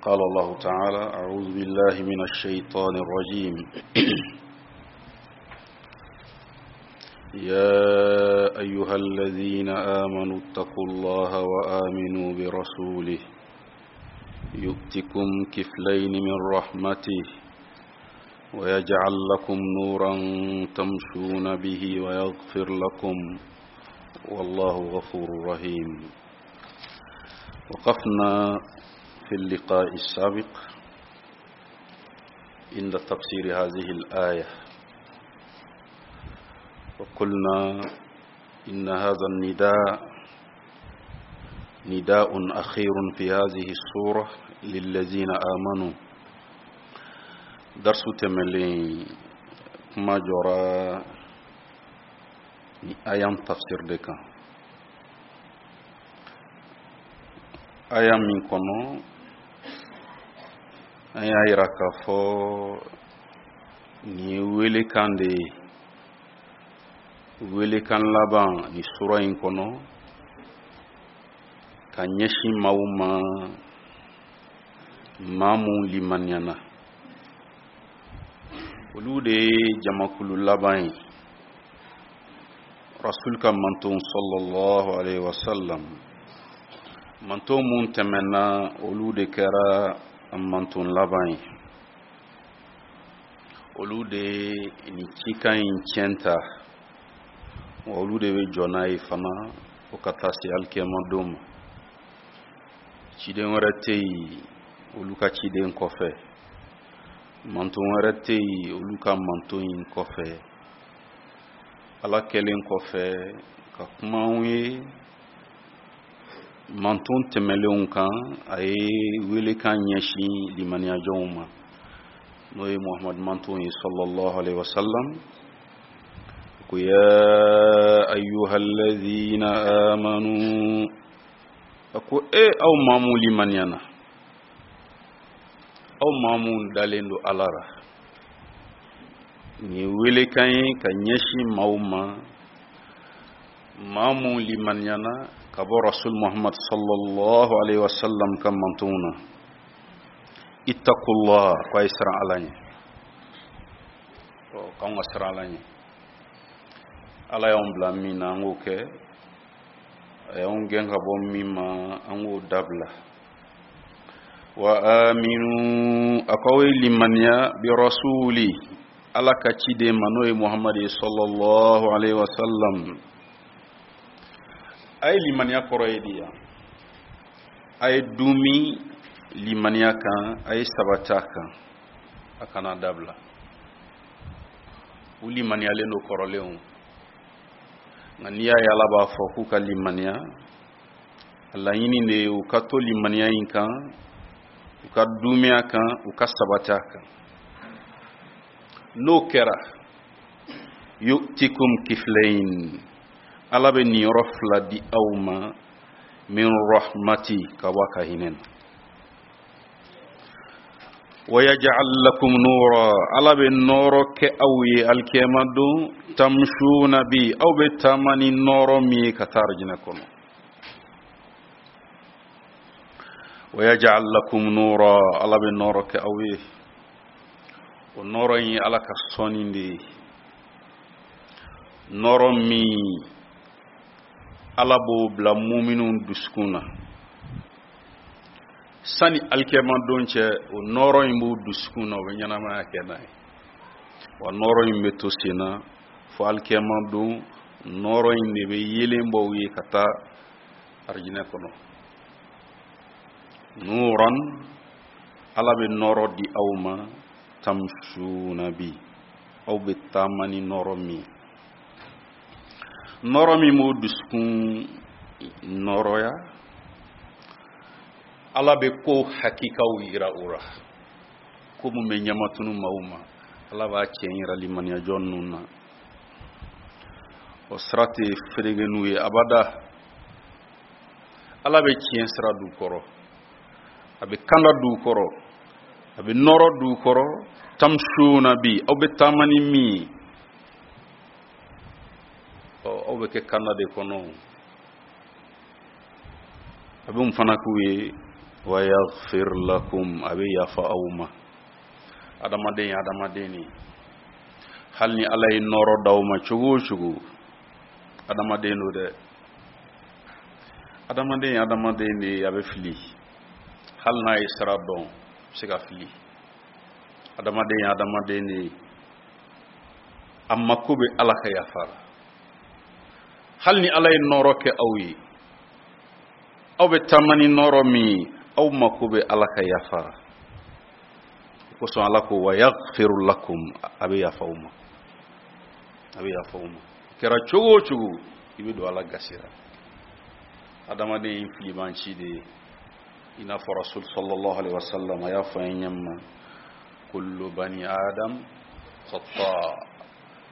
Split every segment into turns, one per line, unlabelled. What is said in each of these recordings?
قال الله تعالى أعوذ بالله من الشيطان الرجيم يا أيها الذين آمنوا اتقوا الله وآمنوا برسوله يؤتكم كفلين من رحمته ويجعل لكم نورا تمشون به ويغفر لكم والله غفور رحيم وقفنا في اللقاء السابق عند تفسير هذه الآية وقلنا إن هذا النداء نداء أخير في هذه السورة للذين آمنوا درس تملين ما جرى آيام تفسير دكا aya min kɔnɔ an y'a yira k'a fɔ nin ye welekan de ye welekan laban nin sura in kɔnɔ ka ɲɛsin maaw ma maa mun limaniyana olu de ye jamakulu laban ye rasul ka manton sallallahu alaihi wasallam manton mun tɛmɛna olu de kɛra manton laban ye olu de ye nin cikan in tiɲɛ ta wa olu de bɛ jɔ n'a ye fana fo ka taa se alikiyama don ma ciden wɛrɛ tɛ yen olu ka ciden kɔfɛ manton wɛrɛ tɛ yen olu ka manton in kɔfɛ ala kɛlen kɔfɛ ka kuma anw ye manton tɛmɛlenw kan a ye welekan ɲɛsin limaniyajɔnw ma n'o ye muhamadu manton ye sallallahu alaihi wasallam ko ya ayyuhallazina amanu a ko e aw maa mun limaniyana aw maa mun dalen don ala ra nin ye welekan ye ka ɲɛsin maaw ma maa mun limaniyana ka bɔ rasul muhammad sallallahu alaihi wasallam ka mantonw na ittaqullah ko a ye siran ala ɲɛ ɔ k'anw ka siran ala ɲɛ ala y'anw bila min na an k'o kɛ a y'anw gɛn ka bɔ min ma an k'o dabila wa aminu a k'aw ye limaniya bi rasuli ala ka ciden ma n'o ye muhamadu ye sallallahu alaihi wa sallam a ye limaniya kɔrɔ ye di yan a ye duumi limaniya kan a ye sabati a kan a kana dabila u limaniyalen don kɔrɔlenw nka n'i y'a ye ala b'a fɔ k'u ka limaniya a laɲini de ye u ka to limaniya in kan u ka duumɛ a kan u ka sabati a kan n'o kɛra yu'tikum kiflayn ala bɛ niyɔrɔ fila di aw ma min rahmati ka bɔ a ka hinɛ na wa yaj'al lakum nura ala bɛ nɔɔrɔ kɛ aw ye alikiyama don tamshuna bi aw bɛ taama ni nɔɔrɔ min ye ka taa arijinɛ kɔnɔ wa yaj'al lakum nura ala bɛ nɔɔrɔ kɛ aw ye o nɔɔrɔ in ye ala ka sɔnni de ye nɔɔrɔ min ala b'o bila muminw dusukun na sani alikiyama don cɛ o nɔɔrɔ in b'u dusukun na u bɛ ɲɛnamaya kɛ n'a ye wa nɔɔrɔ in bɛ to sen na fo alikiyama don nɔɔrɔ in de bɛ yeelen bɔ u ye ka taa arijinɛ kɔnɔ nuran ala bɛ nɔɔrɔ di aw ma tamsuna bi aw bɛ taama ni nɔɔrɔ min ye nɔɔrɔ min b'o dusukun nɔɔrɔya ala bɛ ko hakikaw yira u ra ko mun bɛ ɲɛmatunu maaw ma ala b'a tiɲɛ yira limaniyajɔn ninnu na o sira tɛ fereke n'u ye abada ala bɛ tiɲɛ sira d'u kɔrɔ a bɛ kanda d'u kɔrɔ a bɛ nɔɔrɔ d'u kɔrɔ tamsuna bi aw bɛ taama ni min ye ɔ aw bɛ kɛ kanda de kɔnɔ a bɛ mun fana k'u ye Wa yaghfir lakum, a bɛ yafa aw ma. Adamaden ye adamaden de ye, hali ni Ala ye nɔɔrɔ d'aw ma cogo o cogo, adamaden don dɛ. Adamaden ye adamaden de ye, a bɛ fili. Hali n'a ye sira dɔn, a bɛ se ka fili. Adamaden ye adamaden de ye, a mako bɛ Ala ka yafa la. Hali ni Ala ye nɔɔrɔ kɛ aw ye, aw bɛ taama ni nɔɔrɔ min ye, aw mako bɛ Ala ka yafa la. O kosɔn Ala ko wa yaghfiru lakum, a bɛ yafa aw ma, a bɛ yafa aw ma. Kɛra cogo o cogo, i bɛ don Ala gasi la. Adamaden ye filibanci de ye, i n'a fɔ Rasul sallallahu alaihi wasallam a y'a fɔ an ye ɲɛ min na, kullu bani adam khata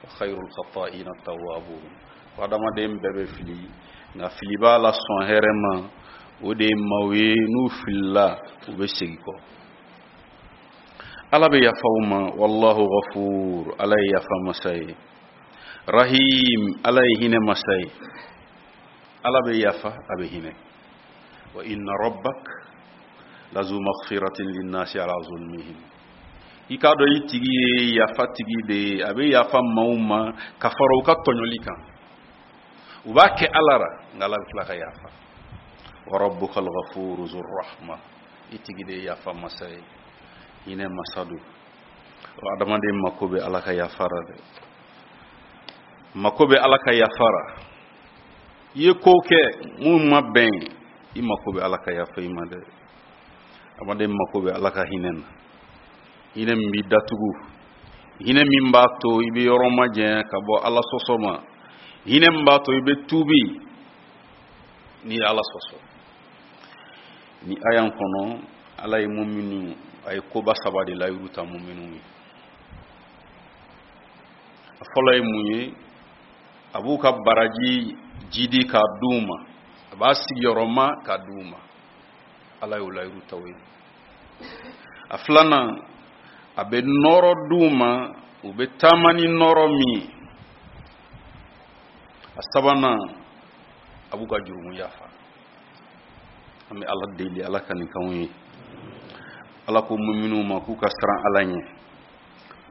wa khayrul khata'ina tawwabun. Ko adamaden bɛɛ bɛ fili, nka fili b'a la sɔn hɛrɛ ma, o de ye maaw ye n'u filila u bɛ segin kɔ. Ala bɛ yafa u ma. Wallahu ghafur, Ala ye yafa masa ye. Rahim, Ala ye hinɛ masa ye. Ala bɛ yafa, a bɛ hinɛ. Wa inna rabbak lazu maghfiratin linnasi ala zulmihim. I k'a dɔn i tigi ye yafa tigi de ye, a bɛ yafa maaw ma ka fara u ka tɔɲɔli kan. U b'a kɛ Ala ra, nka Ala bɛ tila ka yafa. Wa rabbuka al-ghafuru zur rahma, i tigi de ye yafa masa ye, hinɛ masa don. Adamaden mako bɛ Ala ka yafa ra dɛ, mako bɛ Ala ka yafa ra. I ye ko kɛ mun ma bɛn, i mako bɛ Ala ka yafa i ma dɛ. Adamaden mako bɛ Ala ka hinɛ na, hinɛ min b'i datugu, hinɛ min b'a to i bɛ yɔrɔ majanya ka bɔ Ala sɔsɔ ma, hinɛ min b'a to i bɛ tuubi n'i ye Ala sɔsɔ. Ni aya in kɔnɔ, Ala ye muminu, a ye koba saba de layiru ta muminu ye. A fɔlɔ ye mun ye? A b'u ka baraji jidi k'a d'u ma, a b'a sigiyɔrɔma k'a d'u ma. Ala y'o layiru ta u ye. A filanan, a bɛ nɔɔrɔ d'u ma, u bɛ taama ni nɔɔrɔ min ye. A sabanan, a b'u ka jurumu yafa. An bɛ Ala deli, Ala ka nin k'anw ye. Ala ko muminuw ma k'u ka siran Ala ɲɛ,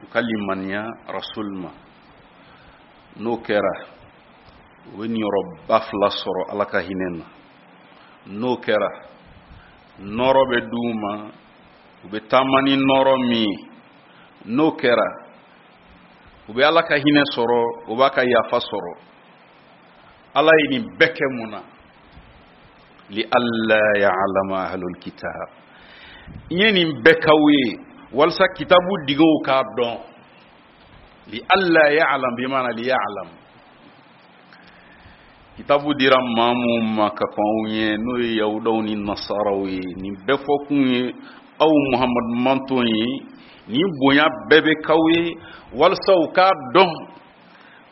u ka limaniya Rasul ma. N'o kɛra, u bɛ niyɔrɔba fila sɔrɔ Ala ka hinɛ na. N'o kɛra, nɔɔrɔ bɛ d'u ma, u bɛ taama ni nɔɔrɔ min ye. N'o kɛra, u bɛ Ala ka hinɛ sɔrɔ, u b'a ka yafa sɔrɔ. Ala ye nin bɛɛ kɛ mun na? Li alla ya'lama ahlul kitab. N ye nin bɛɛ k'aw ye walasa kitabu digew k'a dɔn. Li alla ya'lam bi maana li ya'lam. Kitabu dira maa mun ma ka kɔn aw ɲɛ, n'o ye yahudaw ni nasaraw ye, nin bɛɛ fɔ kun ye aw Muhammad manton ye, nin bonya bɛɛ bɛ k'aw ye walasa u k'a dɔn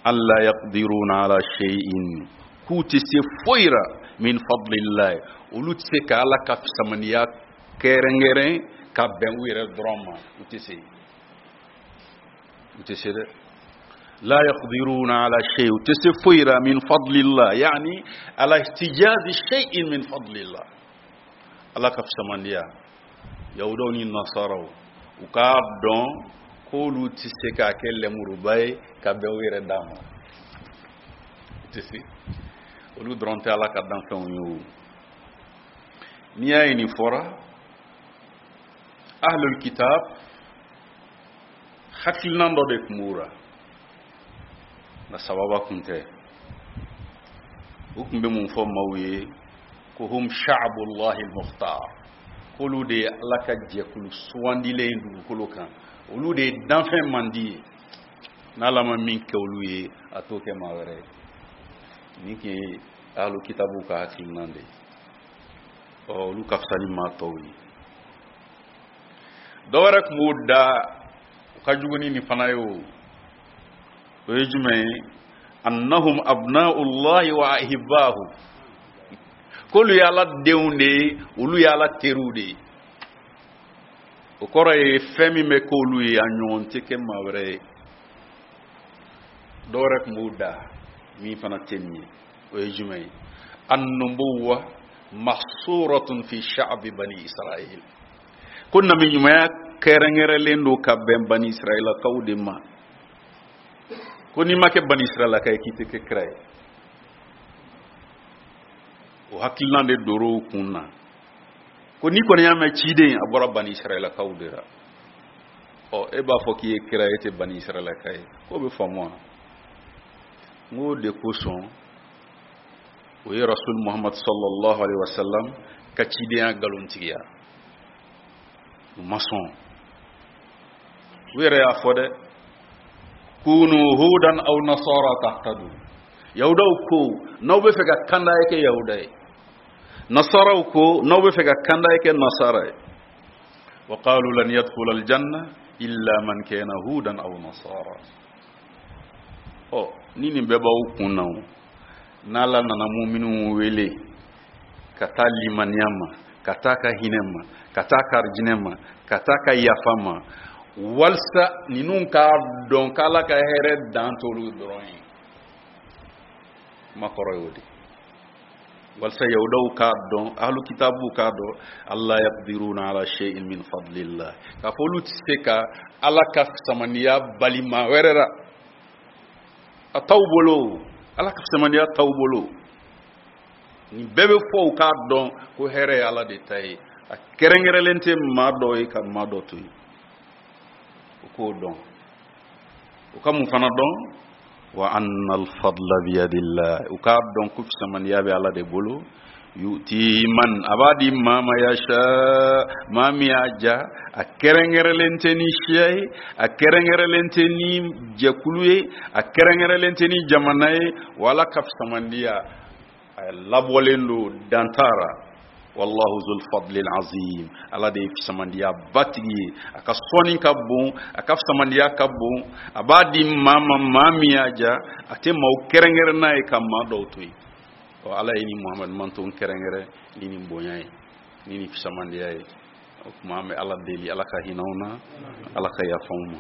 alla yaqdiruna ala shay'in, k'u tɛ se foyi ra min fadlillahi, olu tɛ se ka Ala ka fisamaniya kɛrɛnkɛrɛn ka bɛn u yɛrɛ dɔrɔn ma, u tɛ se, u tɛ se dɛ. La yaqdiruna ala shay, u tɛ se foyi ra min fadlillah, yani ala ihtijazi shay'in min fadlillah. Ala ka fisamaniya, yahudaw ni nasaraw, u k'a dɔn k'olu tɛ se k'a kɛ lɛmuruba ye ka bɛn u yɛrɛ d'a ma, u tɛ se. Olu dɔrɔn tɛ Ala ka danfɛnw ye o. N'i y'a ye nin fɔra, ahlul kitab hakilinan dɔ de tun b'u la, nka sababa kun tɛ. U tun bɛ mun fɔ maaw ye? Ko hum sha'bullahi al-mukhtar, k'olu de ye Ala ka jɛkulu sugandilen ye dugukolo kan, olu de ye danfɛn mandi ye, n'Ala ma min kɛ olu ye, a t'o kɛ maa wɛrɛ ye. Nin tun ye ahlu kitabu ka hakilinan de ye. Ɔ, olu ka fisa ni maa tɔw ye. Dɔ wɛrɛ tun b'o da, o ka jugu ni nin fana ye o. O ye jumɛn ye? Annahum abna'ullahi wa ahibbahu, k'olu ye Ala denw de ye, olu ye Ala teriw de ye. O kɔrɔ ye fɛn min bɛ k'olu ye, a ɲɔgɔn tɛ kɛ maa wɛrɛ ye. Dɔ wɛrɛ tun b'o da min fana tɛ nin ye, o ye jumɛn ye? Annubuwa Mahsuratun fi sha'bi bani Israil, ko nabi ɲumanya kɛrɛnkɛrɛnlen don ka bɛn bani Israilakaw de ma, ko n'i ma kɛ bani Israilaka ye, k'i tɛ kɛ kira ye. O hakilina de dor'o kun na, ko n'i kɔni y'a mɛn ciden, a bɔra bani Israilakaw de la. Ɔ, e b'a fɔ k'i ye kira ye, e tɛ bani Israilaka ye, k'o bɛ faamu wa? N k'o de kosɔn o ye Rasul Muhammad sallallahu alaihi wasallam ka cidenya nkalontigiya. U ma sɔn. U yɛrɛ y'a fɔ dɛ, kunu hudan aw nasara tahtadu. Yahudaw ko n'aw bɛ fɛ ka kanda, ye kɛ yahuda ye. Nasaraw ko n'aw bɛ fɛ ka kanda, ye kɛ nasara ye. Wa qalu lan yadkhula aljanna illa man kana hudan aw nasara. Ɔ, ni nin bɛɛ b'aw kun na, o n'Ala nana muminuw wele ka taa limaniya ma, ka taa ka hinɛ ma, ka taa ka arijinɛ ma, ka taa ka yafa ma, walisa ninnu k'a dɔn k'Ala ka hɛrɛ dan t'olu dɔrɔn ye. Kuma kɔrɔ y'o de, walisa yahudaw k'a dɔn, ahlu kitabuw k'a dɔn, alla yaqdiruna ala shay'in min fadlillah, k'a fɔ olu tɛ se ka Ala ka fisamaniya bali maa wɛrɛ la. A t'aw bolo, Ala ka fisamaniya t'aw bolo. Nin bɛɛ bɛ fɔ u k'a dɔn ko hɛrɛ ye Ala de ta ye, a kɛrɛnkɛrɛnlen tɛ maa dɔ ye ka maa dɔ to yen. U k'o dɔn. U ka mun fana dɔn? Wa anna alfadla biyadillah, u k'a dɔn ko fisamaniya bɛ Ala de bolo. Yuti man, a b'a di maa ma, yasha, maa min y'a ja. A kɛrɛnkɛrɛnlen tɛ ni siya ye, a kɛrɛnkɛrɛnlen tɛ ni jɛkulu ye, a kɛrɛnkɛrɛnlen tɛ ni jamana ye. Wa Ala ka fisamandiya, a labɔlen don dantara. Wallahu zul fadli azim, Ala de ye fisamandiya batigi ye. A ka sɔnni ka bon, a ka fisamandiya ka bon. A b'a di maa ma, maa min y'a ja. A tɛ maaw kɛrɛnkɛrɛn n'a ye ka maa dɔw to yen. Ɔ, Ala ye ni Muhamadu manton kɛrɛnkɛrɛn ni nin bonya ye, ni nin fisamandiya ye. O tuma, an bɛ Ala deli, Ala ka hinɛ anw na, Ala ka yafa anw ma.